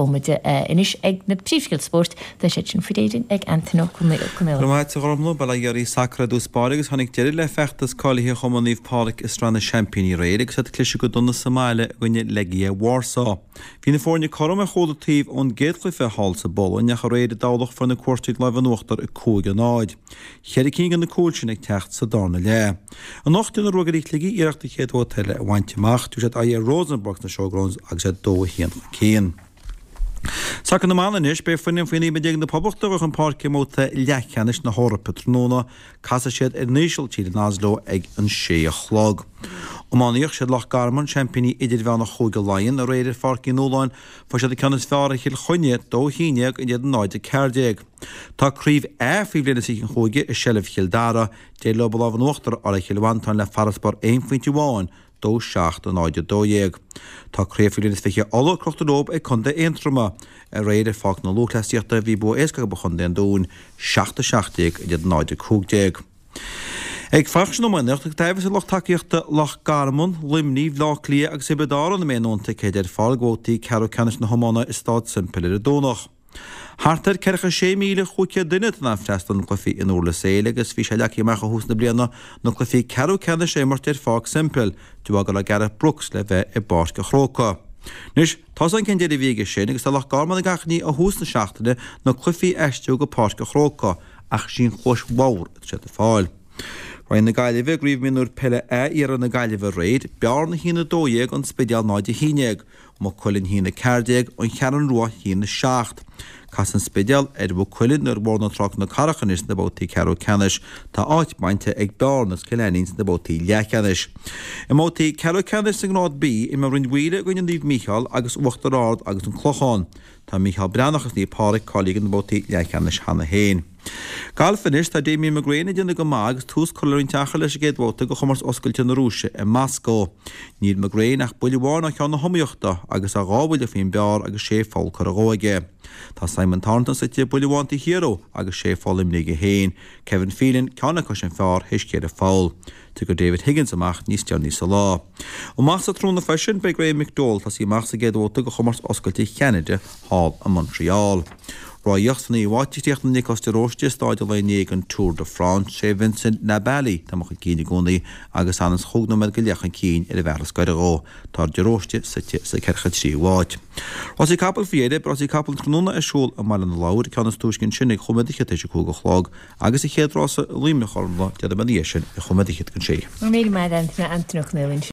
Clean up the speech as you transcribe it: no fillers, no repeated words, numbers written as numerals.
bomaite. Anois ag na príomhscéalta spóirt, tá siad sin faoi réir ag Antaine Ó Conaola. Go raibh maith agat a Ghormfhlaith, Bail ó Dhia ar sacar i dtús báire agus tháinig deireadh le feachtas cáilithe Chumann Naomh Pádraig i Sraith na Seaimpíní aréir agus iad ag cliseadh go dona sa mbaile i gcoinne Legia Warsaw. Bhí na foirne cothrom ar chuile taobh ón gcéad chluiche thall sa bPolainn ach aréir i dTamhlacht fuair na cuairteoirí lámh in uachtar 5-0. Cheithre cinn de na cúil sin ag teacht sa darna leath. Anocht déanfaidh Ruagairí Shligigh iarracht an chéad bhabhta eile a bhaint amach. Tabharfaidh siad aghaidh ar Rosenborg sna Showgrounds agus iad 2-1 chun cinn. Sacar na mban anois, beidh foireann faoi 19 mbliana na Poblachta ag dul chun páirce i mbabhta leathcheannais na hEorpa tráthnóna. Casfaidh siad ar an Ísiltír in Oslo ag an sé a chlog. Iománaíocht, Siad Loch Garman seaimpíní idirmheánach Chúige Laighean aréir ar Pháirc Uí Nualláin. Fuair siad an ceann is fearr ar Chill Chainnigh, 2-11 in éadan 0-14. Tá Craobh A faoi bhliain is 20 an chúige i seilbh Chill Dara. D'éirigh leo an lámh in uachtar a fháil ar Chill Mhantáin le farasbarr aon phointe amháin, 2, 7, 0, 12. Tá Craobh faoi bhliain is 20 Uladh crochta leo ag Contae Aontroma. Aréir ar Pháirc na Lúthchleasaíochta bhí bua éasca acu ar Chontae an Dúin, 7, 17 in éadan 0, 15. Ag fanacht san iománaíocht, tá aimhreas ar lucht tacaíochta Loch Garman, Luimnigh, Bhaile Átha Cliath agus Thiobraid Árann an mbeidh a ndóthain ticéid ar fáil do bhabhtaí ceathrú ceannais na hiomána i Staid Semple ar an Domhnach. Thart ar 46,500 duine atá in ann freastal ar na cluichí in Durlas Éile agus bhí sé leagtha amach ó thús na bliana na cluichí ceathrú ceannais a imirt ar Pháirc Semple de bharr go raibh Gareth Brooks le bheith i bPáirc an Chrócaigh. Anois, tá's againn cén deireadh a bhí aige sin agus tá Loch Garman ag achainí ó thús na seachtaine na cluichí a aistriú go Páirc an Chrócaigh ach sí an chluais bhodhar atá siad ag fáil. Roinn na Gaillimhe i gCraobh Mionúir Peile A Iarthar na Gaillimhe aréir, Bearna 1-12, An Spidéal 0-11. Maigh Cuilinn 1-14, An Cheathrú Rua 1-7. Casfaidh an Spidéal ar Mhaigh Cuilinn nó ar Bhóthar na Trá-Col na Carrach anois sna babhtaí ceathrú ceannais. Tá áit bainte ag Bearna agus Cill Ainnín sna babhtaí leathcheannais. I mbabhtaí ceathrú ceannais sa nGrád B, imreoidh Rinn Mhaoile i gcoinne Naomh Mícheál agus Uachtar Ard agus An Clochán. Tá Mícheál Breathnach agus Naomh Pádraig cáilithe do na babhtaí leathcheannais cheana féin. Galf anois, tá Damien McGrane ag déanamh go maith agus tús curtha le roinnt achar leis an gcéad bhabhta de chomórtas oscailte na Rúise i Moscó. Níl McGrane ach buille amháin ó cheann na hiomaíochta agus é dhá bhuille faoin bpar agus sé pholl curtha dhó aige. Tá Simon Thornton suite buille amháin taobh thiar dhó agus sé pholl imeartha aige féin. Kevin Phelan ceann acu sin fearr théis ceithre pholl. Tiocfaidh David Higgins amach níos deireanaí sa lá. Amach sa tráthnóna freisin, beidh Graeme McDowell ag tosaí amach sa gcéad bhabhta de chomórtas oscailte Cheanada thall i Montreal. Rothaíocht Sa naoú háit a chríochnaigh Nioclás de Róiste i stáid an lae inné den Tour de France. Sé Vincent Nibali atá chun cinn i gcónaí agus anonn is chúig nóiméad go leith chun cinn ar an bhfear is gaire dhó. Tá de Róiste suite sa ceathracha tríú háit. Rásaí capall faoi dheireadh, beidh rásaí capall an tráthnóna ar siúl i mBaile na Lobhar, ceann is túisce ansin ag chúig nóiméad fhichead tar éis a cúig a chlog. Agus an chéad rása i Luimneach a Ghormfhlaith, déarfaidh mé ina dhiaidh sin, ag chúig nóiméad fhichead don sé. Go raibh míle maith agat Antaine Ó Conaola.